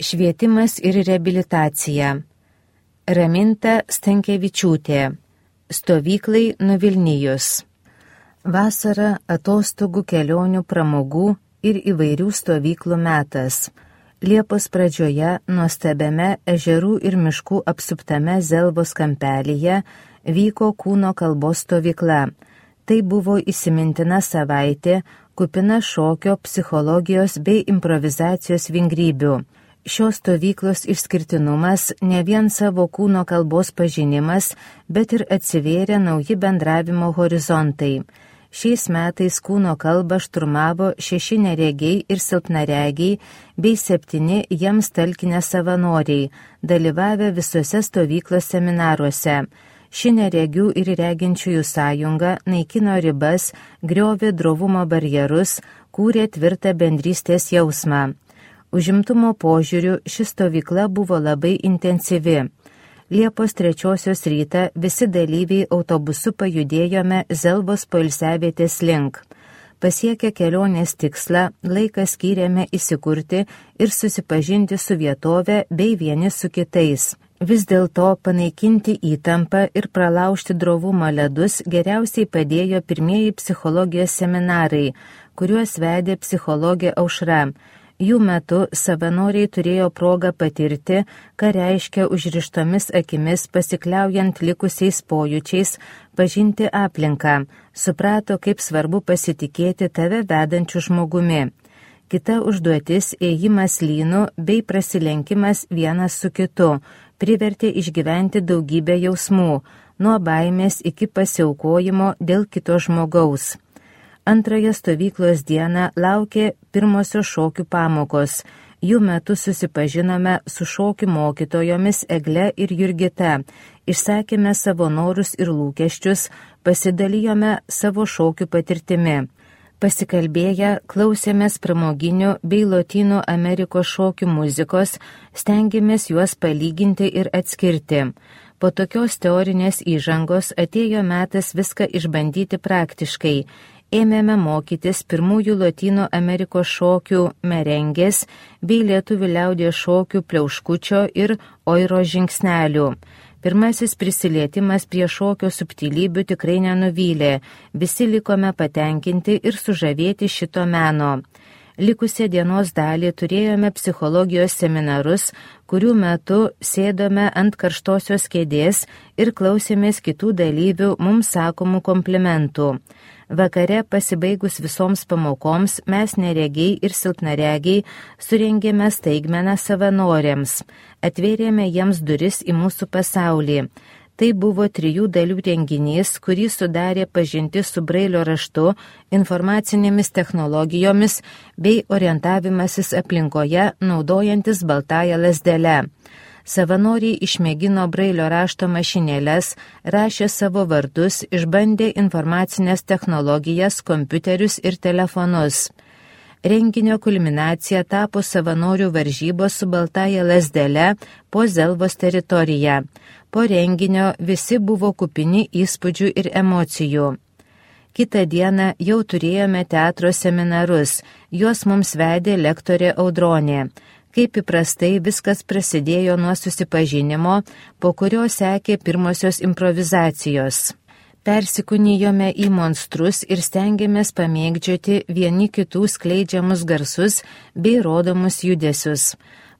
Švietimas ir reabilitacija. Raminta Stankevičiūtė. Stovyklai Nuvilnijus. Vasara atostogų, kelionių, pramogų ir įvairių stovyklų metas. Liepos pradžioje nuostabiame ežerų ir miškų apsuptame Zelvos kampelyje vyko kūno kalbos stovykla. Tai buvo įsimintina savaitė, kupina šokio, psichologijos bei improvizacijos vingrybių. Šios stovyklos išskirtinumas ne vien savo kūno kalbos pažinimas, bet ir atsivėrė nauji bendravimo horizontai. Šiais metais kūno kalbą šturmavo 6 neregiai ir silpnaregiai bei 7 jiems talkinę savanoriai, dalyvavę visuose stovyklos seminaruose. Ši neregių ir reginčiųjų sąjunga naikino ribas, griovė drovumo barjerus, kūrė tvirtą bendrystės jausmą. Užimtumo požiūriu ši stovykla buvo labai intensyvi. Liepos 3 rytą visi dalyviai autobusu pajudėjome Zelvos poilsiavietės link. Pasiekę kelionės tikslą, laiką skyrėme įsikurti ir susipažinti su vietove bei vieni su kitais. Vis dėlto panaikinti įtampą ir pralaužti drovumo ledus geriausiai padėjo pirmieji psichologijos seminarai, kuriuos vedė psichologė Aušra. Jų metu savanoriai turėjo progą patirti, ką reiškia užrištomis akimis pasikliaujant likusiais pojūčiais, pažinti aplinką, suprato, kaip svarbu pasitikėti tave vedančiu žmogumi. Kita užduotis – ėjimas lynu bei prasilenkimas vienas su kitu, privertė išgyventi daugybę jausmų, nuo baimės iki pasiaukojimo dėl kito žmogaus. Antrąją stovyklos dieną laukė pirmosios šokių pamokos. Jų metu susipažinome su šokių mokytojomis Egle ir Jurgita, išsakėme savo norus ir lūkesčius, pasidalijome savo šokių patirtimi. Pasikalbėję, klausėmės pramoginių bei Lotynų Amerikos šokių muzikos, stengiamės juos palyginti ir atskirti. Po tokios teorinės įžangos atėjo metas viską išbandyti praktiškai. Ėmėme mokytis pirmųjų Lotynų Amerikos šokių merengės bei lietuvių liaudies šokių pliauškučio ir oiro žingsnelių. Pirmasis prisilietimas prie šokio subtilybių tikrai nenuvylė, visi likome patenkinti ir sužavėti šito meno. Likusią dienos dalį turėjome psichologijos seminarus, kurių metu sėdome ant karštosios kėdės ir klausėmės kitų dalyvių mums sakomų komplimentų. Vakare pasibaigus visoms pamokoms mes neregiai ir silpnaregiai surengėme staigmeną savanoriams, atvėrėme jiems duris į mūsų pasaulį. Tai buvo 3 dalių renginys, kurį sudarė pažintis su brailio raštu, informacinėmis technologijomis bei orientavimasis aplinkoje naudojantis baltąją lazdelę. Savanoriai išmėgino brailio rašto mašinėles, rašė savo vardus, išbandė informacinės technologijas, kompiuterius ir telefonus. Renginio kulminacija tapo savanorių varžybos su baltąja lazdele po Zelvos teritoriją. Po renginio visi buvo kupini įspūdžių ir emocijų. Kitą dieną jau turėjome teatro seminarus, juos mums vedė lektorė Audronė. Kaip įprastai viskas prasidėjo nuo susipažinimo, po kurio sekė pirmosios improvizacijos. Persikūnijome į monstrus ir stengiamės pamėgdžioti vieni kitų skleidžiamus garsus bei rodomus judesius.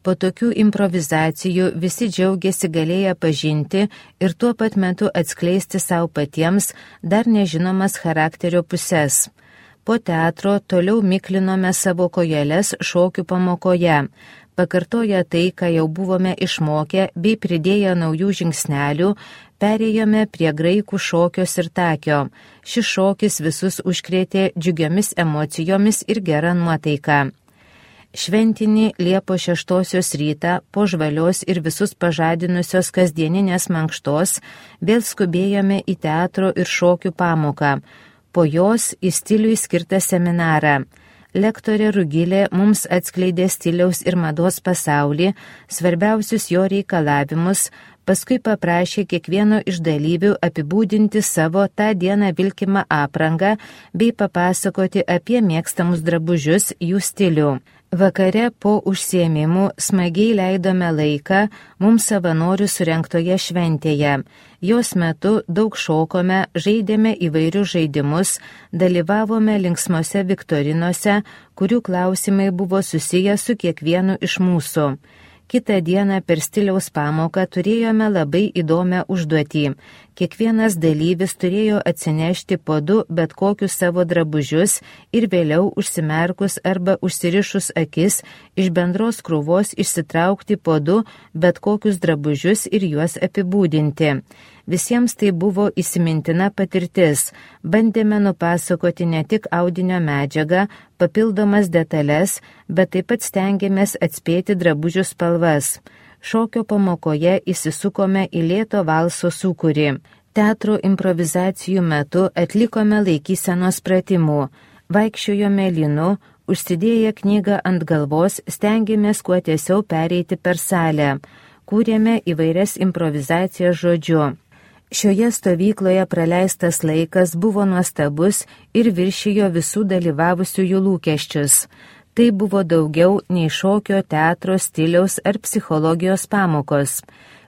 Po tokių improvizacijų visi džiaugiasi galėję pažinti ir tuo pat metu atskleisti savo patiems dar nežinomas charakterio puses. Po teatro toliau miklinome savo kojeles šokių pamokoje. Pakartoję tai, ką jau buvome išmokę, bei pridėję naujų žingsnelių, perėjome prie graikų šokio sirtakio. Šis šokis visus užkrėtė džiugiomis emocijomis ir gerą nuotaiką. Šventinį Liepos 6 rytą, po žvalios ir visus pažadinusios kasdieninės mankštos, vėl skubėjome į teatro ir šokių pamoką. Po jos į stiliui skirtą seminarą. Lektorė Rugilė mums atskleidė stiliaus ir mados pasaulį, svarbiausius jo reikalavimus, paskui paprašė kiekvieno iš dalyvių apibūdinti savo tą dieną vilkimą aprangą bei papasakoti apie mėgstamus drabužius, jų stilių. Vakare po užsiėmimų smagiai leidome laiką mums savanorių surengtoje šventėje. Jos metu daug šokome, žaidėme įvairius žaidimus, dalyvavome linksmose viktorinose, kurių klausimai buvo susiję su kiekvienu iš mūsų. Kitą dieną per stiliaus pamoką turėjome labai įdomią užduotį. Kiekvienas dalyvis turėjo atsinešti po 2 bet kokius savo drabužius ir vėliau užsimerkus arba užsirišus akis iš bendros krūvos išsitraukti po 2 bet kokius drabužius ir juos apibūdinti. Visiems tai buvo įsimintina patirtis. Bandėme nupasakoti ne tik audinio medžiagą, papildomas detalės, bet taip pat stengiamės atspėti drabužių spalvas. Šokio pamokoje įsisukome į lėto valso sūkurį. Teatro improvizacijų metu atlikome laikysenos pratimų. Vaikščiojome lynu, užsidėję knygą ant galvos, stengiamės kuo tiesiau pereiti per salę. Kūrėme įvairias improvizacijas žodžiu. Šioje stovykloje praleistas laikas buvo nuostabus ir viršijo visų dalyvavusiųjų lūkesčius. Tai buvo daugiau nei šokio, teatro, stiliaus ar psichologijos pamokos.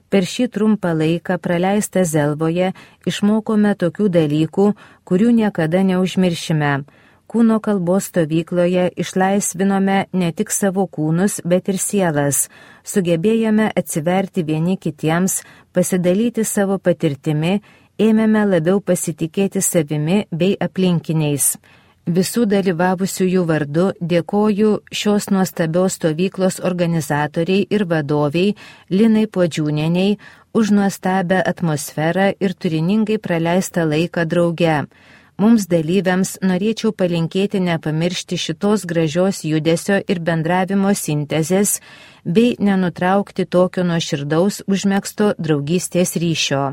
Per šį trumpą laiką praleistą Zelvoje išmokome tokių dalykų, kurių niekada neužmiršime. Kūno kalbos stovykloje išlaisvinome ne tik savo kūnus, bet ir sielas. Sugebėjome atsiverti vieni kitiems, pasidalyti savo patirtimi, ėmėme labiau pasitikėti savimi bei aplinkiniais. Visų dalyvavusiųjų vardu dėkoju šios nuostabios stovyklos organizatoriai ir vadoviai Linai Puodžiūnieniai už nuostabią atmosferą ir turiningai praleistą laiką drauge. Mums dalyviams norėčiau palinkėti nepamiršti šitos gražios judesio ir bendravimo sintezės bei nenutraukti tokio nuoširdaus užmegzto draugystės ryšio.